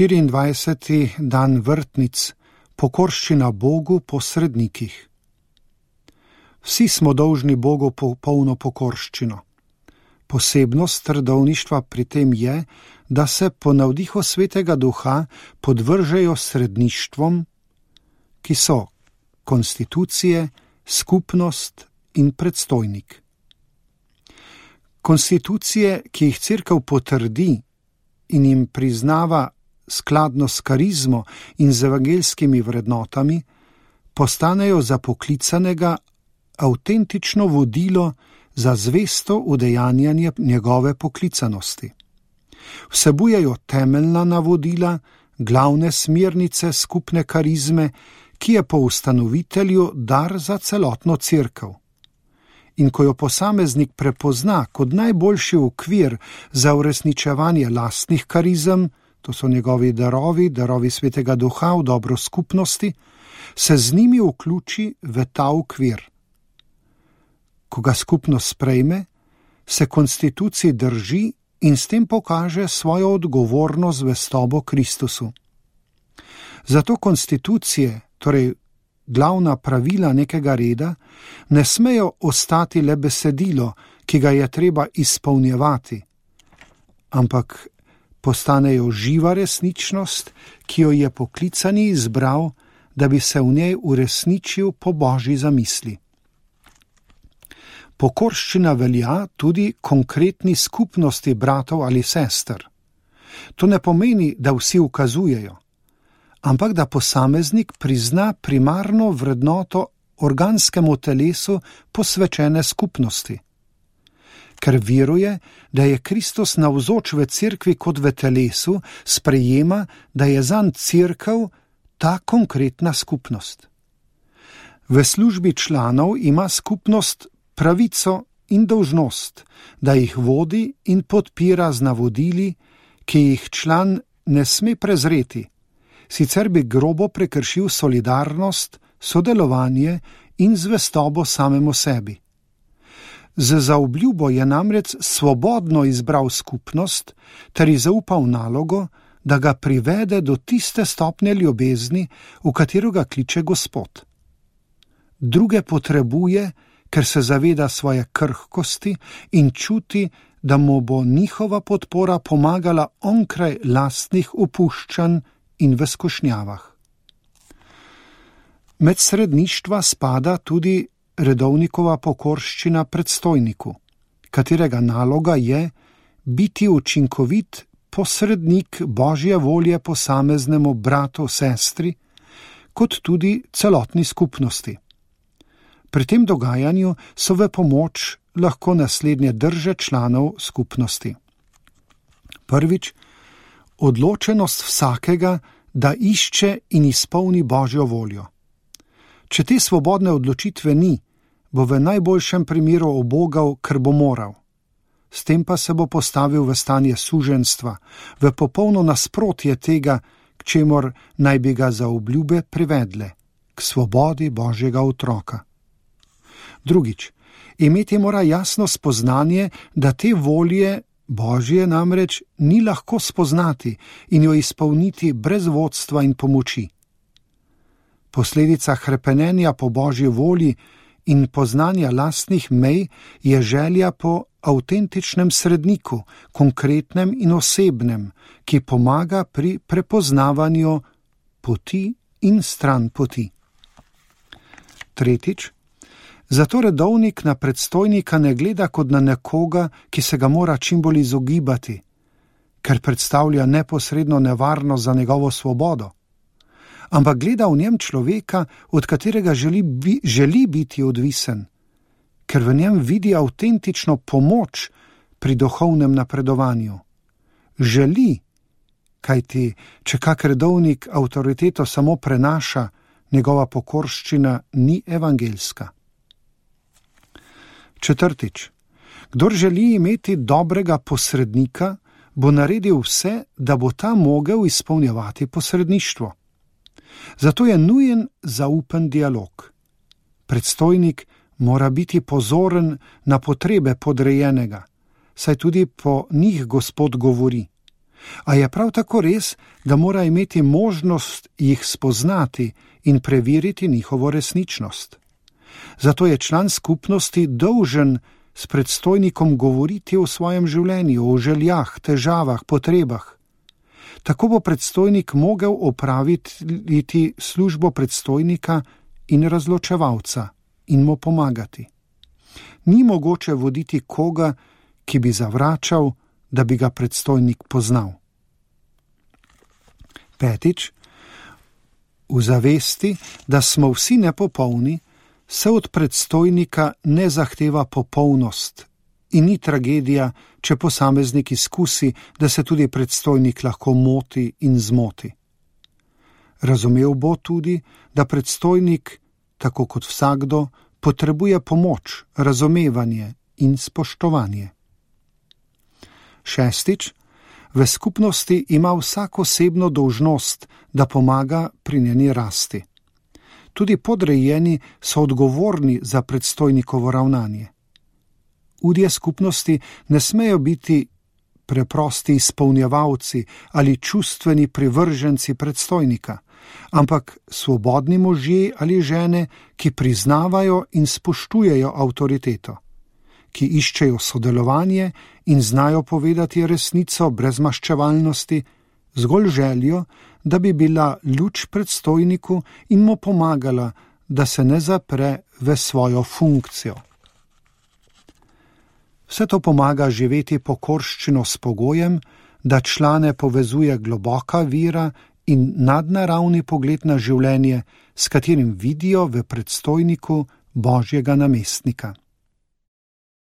24. dan vrtnic, pokorščina Bogu po srednikih. Vsi smo dolžni Bogu polno pokorščino. Posebnost redovništva pri tem je, da se po navdihu Svetega Duha podvržejo sredništvom, ki so konstitucije, skupnost in predstojnik. Konstitucije, ki jih Cerkev potrdi in jim priznava skladno s karizmo in z evangeljskimi vrednotami, postanejo za poklicanega avtentično vodilo za zvesto udejanjanje njegove poklicanosti. Vsebujejo temeljna navodila, glavne smernice skupne karizme, ki je po ustanovitelju dar za celotno Cerkev. In ko jo posameznik prepozna kot najboljši okvir za uresničevanje lastnih karizem, to so njegovi darovi Svetega Duha v dobro skupnosti, se z njimi vključi v ta okvir. Ko ga skupnost sprejme, se konstituciji drži in s tem pokaže svojo odgovorno zvestobo Kristusu. Zato konstitucije, torej glavna pravila nekega reda, ne smejo ostati le besedilo, ki ga je treba izpolnjevati, ampak postanejo živa resničnost, ki jo je poklicani izbral, da bi se v njej uresničil po Božji zamisli. Pokorščina velja tudi konkretni skupnosti bratov ali sester. To ne pomeni, da vsi ukazujejo, ampak da posameznik prizna primarno vrednoto organskemu telesu posvečene skupnosti. Ker veruje, da je Kristus navzoč v Cerkvi kot v telesu, sprejema, da je zanj Cerkev ta konkretna skupnost. V službi članov ima skupnost pravico in dolžnost, da jih vodi in podpira z navodili, ki jih član ne sme prezreti, sicer bi grobo prekršil solidarnost, sodelovanje in zvestobo samemu sebi. Z zaobljubo je namreč svobodno izbral skupnost ter ji zaupal nalogo, da ga privede do tiste stopnje ljubezni, v katero ga kliče Gospod. Druge potrebuje, ker se zaveda svoje krhkosti in čuti, da mu bo njihova podpora pomagala onkraj lastnih opuščanj in v skušnjavah. Med sredništva spada tudi redovnikova pokorščina predstojniku, katerega naloga je biti učinkovit posrednik Božje volje posameznemu bratu, sestri, kot tudi celotni skupnosti. Pri tem dogajanju so v pomoč lahko naslednje drže članov skupnosti. Prvič, odločenost vsakega, da išče in izpolni Božjo voljo. Če te svobodne odločitve ni, bo v najboljšem primeru obogal, ker bo moral. S tem pa se bo postavil v stanje suženjstva, v popolno nasprotje tega, k čemur naj bi ga zaobljube privedle, k svobodi Božjega otroka. Drugič, imeti mora jasno spoznanje, da te volje Božje namreč ni lahko spoznati in jo izpolniti brez vodstva in pomoči. Posledica hrepenenja po Božji volji in poznanja lastnih mej je želja po avtentičnem sredniku, konkretnem in osebnem, ki pomaga pri prepoznavanju poti in stran poti. Tretjič, zato redovnik na predstojnika ne gleda kot na nekoga, ki se ga mora čim bolj izogibati, ker predstavlja neposredno nevarnost za njegovo svobodo, ampak gleda v njem človeka, od katerega želi biti odvisen, ker v njem vidi avtentično pomoč pri duhovnem napredovanju. Želi, kajti če kak redovnik avtoriteto samo prenaša, njegova pokorščina ni evangeljska. Četrtič, kdor želi imeti dobrega posrednika, bo naredil vse, da bo ta mogel izpolnjevati posredništvo. Zato je nujen zaupen dialog. Predstojnik mora biti pozoren na potrebe podrejenega, saj tudi po njih Gospod govori. A je prav tako res, da mora imeti možnost jih spoznati in preveriti njihovo resničnost. Zato je član skupnosti dolžen s predstojnikom govoriti o svojem življenju, o željah, težavah, potrebah. Tako bo predstojnik mogel opraviti službo predstojnika in razločevalca in mu pomagati. Ni mogoče voditi koga, ki bi zavračal, da bi ga predstojnik poznal. 5. V zavesti, da smo vsi nepopolni, se od predstojnika ne zahteva popolnost in ni tragedija, če posameznik izkusi, da se tudi predstojnik lahko moti in zmoti. Razumel bo tudi, da predstojnik, tako kot vsakdo, potrebuje pomoč, razumevanje in spoštovanje. 6. V skupnosti ima vsak osebno dolžnost, da pomaga pri njeni rasti. Tudi podrejeni so odgovorni za predstojnikovo ravnanje. Udje skupnosti ne smejo biti preprosti izpolnjevalci ali čustveni privrženci predstojnika, ampak svobodni možje ali žene, ki priznavajo in spoštujejo avtoriteto, ki iščejo sodelovanje in znajo povedati resnico brez maščevalnosti, zgolj željo, da bi bila luč predstojniku in mu pomagala, da se ne zapre v svojo funkcijo. Vse to pomaga živeti pokorščino s pogojem, da člane povezuje globoka vera in nadnaravni pogled na življenje, s katerim vidijo v predstojniku Božjega namestnika.